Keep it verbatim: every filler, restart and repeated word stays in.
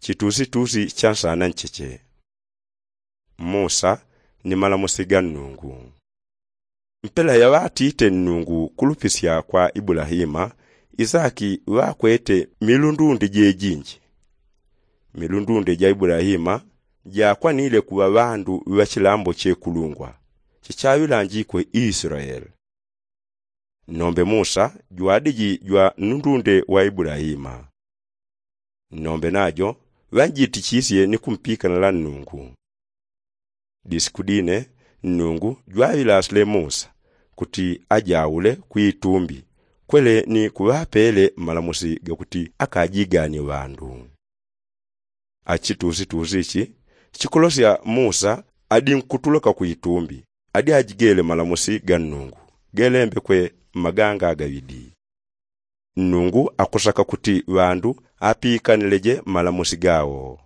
Chitusitusi cha nsana ncheche. Musa ni malamusi ga nnungu. Mpela yaŵatite nnungu kulupisya kwa ibulahima, isaki ŵakwete milundunde jejinji. Milundunde ja ibulahima jakwanile kuŵa ŵandu ŵa chilambo chekulungwa chichaŵilanjikwe israeli. Nnombe musa jwadiji jwa nnundunde wa ibulahima. Nnombe najo ŵanjitichisye ni kumpikanila nnungu. Disiku dine nnungu jwaŵilasile musa kuti ajaule kwitumbi kwele ni kuŵapele malamusi gakuti akajiganie ŵandu. Achitusitusi ichi chikulosya musa adi nkutuloka kwitumbi adi ajigele malamusi ga nnungu gelembekwe mmaganga agaŵidi. Nnungu akusaka kuti ŵandu apikanileje malamusi gawo.